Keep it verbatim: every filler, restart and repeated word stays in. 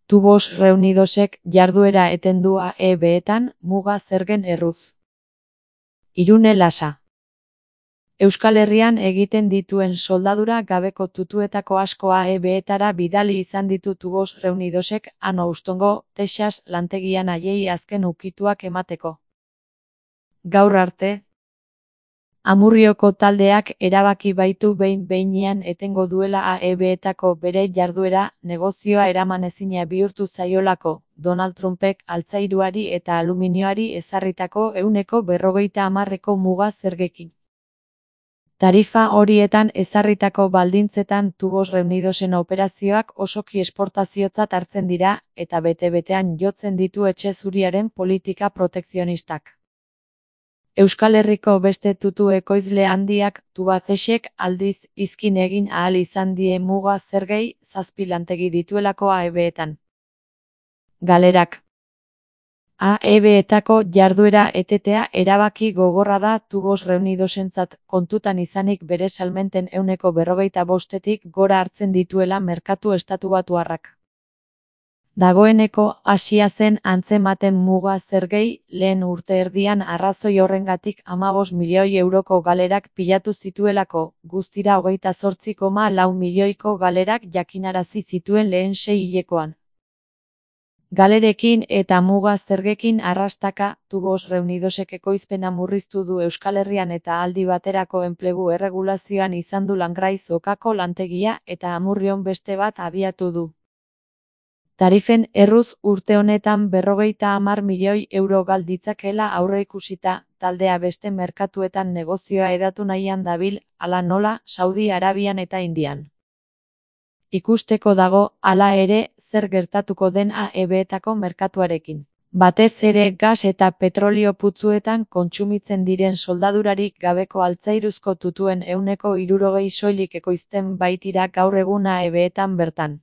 Tubos Reunidosek jarduera eten du A E B-etan muga zergen erruz. Irune Lasa. Euskal Herrian egiten dituen soldadura gabeko tutuetako asko A E B-etara bidali izan ditu Tubos Reunidosek han Houstongo, Texas lantegian haiei azken ukituak emateko. Gaur arte, Amurrioko taldeak erabaki baitu behin-behinean etengo duela A E B-etako bere jarduera, negozioa eramanezina bihurtu zaiolako, Donald Trumpek altzairuari eta aluminioari ezarritako ehuneko berrogeita hamarreko muga zergekin. Tarifa horietan ezarritako baldintzetan Tubos Reunidosen operazioak osoki esportaziotzat hartzen dira, eta bete-betean jotzen ditu etxe zuriaren politika protekzionistak. Euskal Herriko beste tutu ekoizle handiak, Tubacexek, aldiz, izkin egin ahal izan die muga zergei, zazpi lantegi dituelako A E B-etan. Galerak. A E B-etako jarduera etetea erabaki gogorra da Tubos Reunidosentzat, kontutan izanik bere salmenten ehuneko berrogeita bostetik gora hartzen dituela merkatu estatubatuarrak. Dagoeneko hasia zen antzematen muga zergei, lehen urte erdian arrazoi horrengatik hamabost milioi euroko galerak pilatu zituelako, guztira hogeita zortzi koma lau milioiko galerak jakinarazi zituen lehen sei hilekoan. Galerekin eta muga zergekin arrastaka, Tubos Reunidosek ekoizpena murriztu du Euskal Herrian eta aldi baterako enplegu erregulazioan izan du Langraiz Okako lantegia eta Amurrion beste bat abiatu du. Tarifen erruz urte honetan berrogeita hamar milioi euro gal ditzakela aurreikusita, taldea beste merkatuetan negozioa hedatu nahian dabil, hala nola, Saudi Arabian eta Indian. Ikusteko dago, hala ere, zer gertatuko den A E B-etako merkatuarekin. Batez ere gas eta petrolio putzuetan kontsumitzen diren soldadurarik gabeko altzairuzko tutuen ehuneko hirurogei soilik ekoizten baitira gaur egun A E B-etan bertan.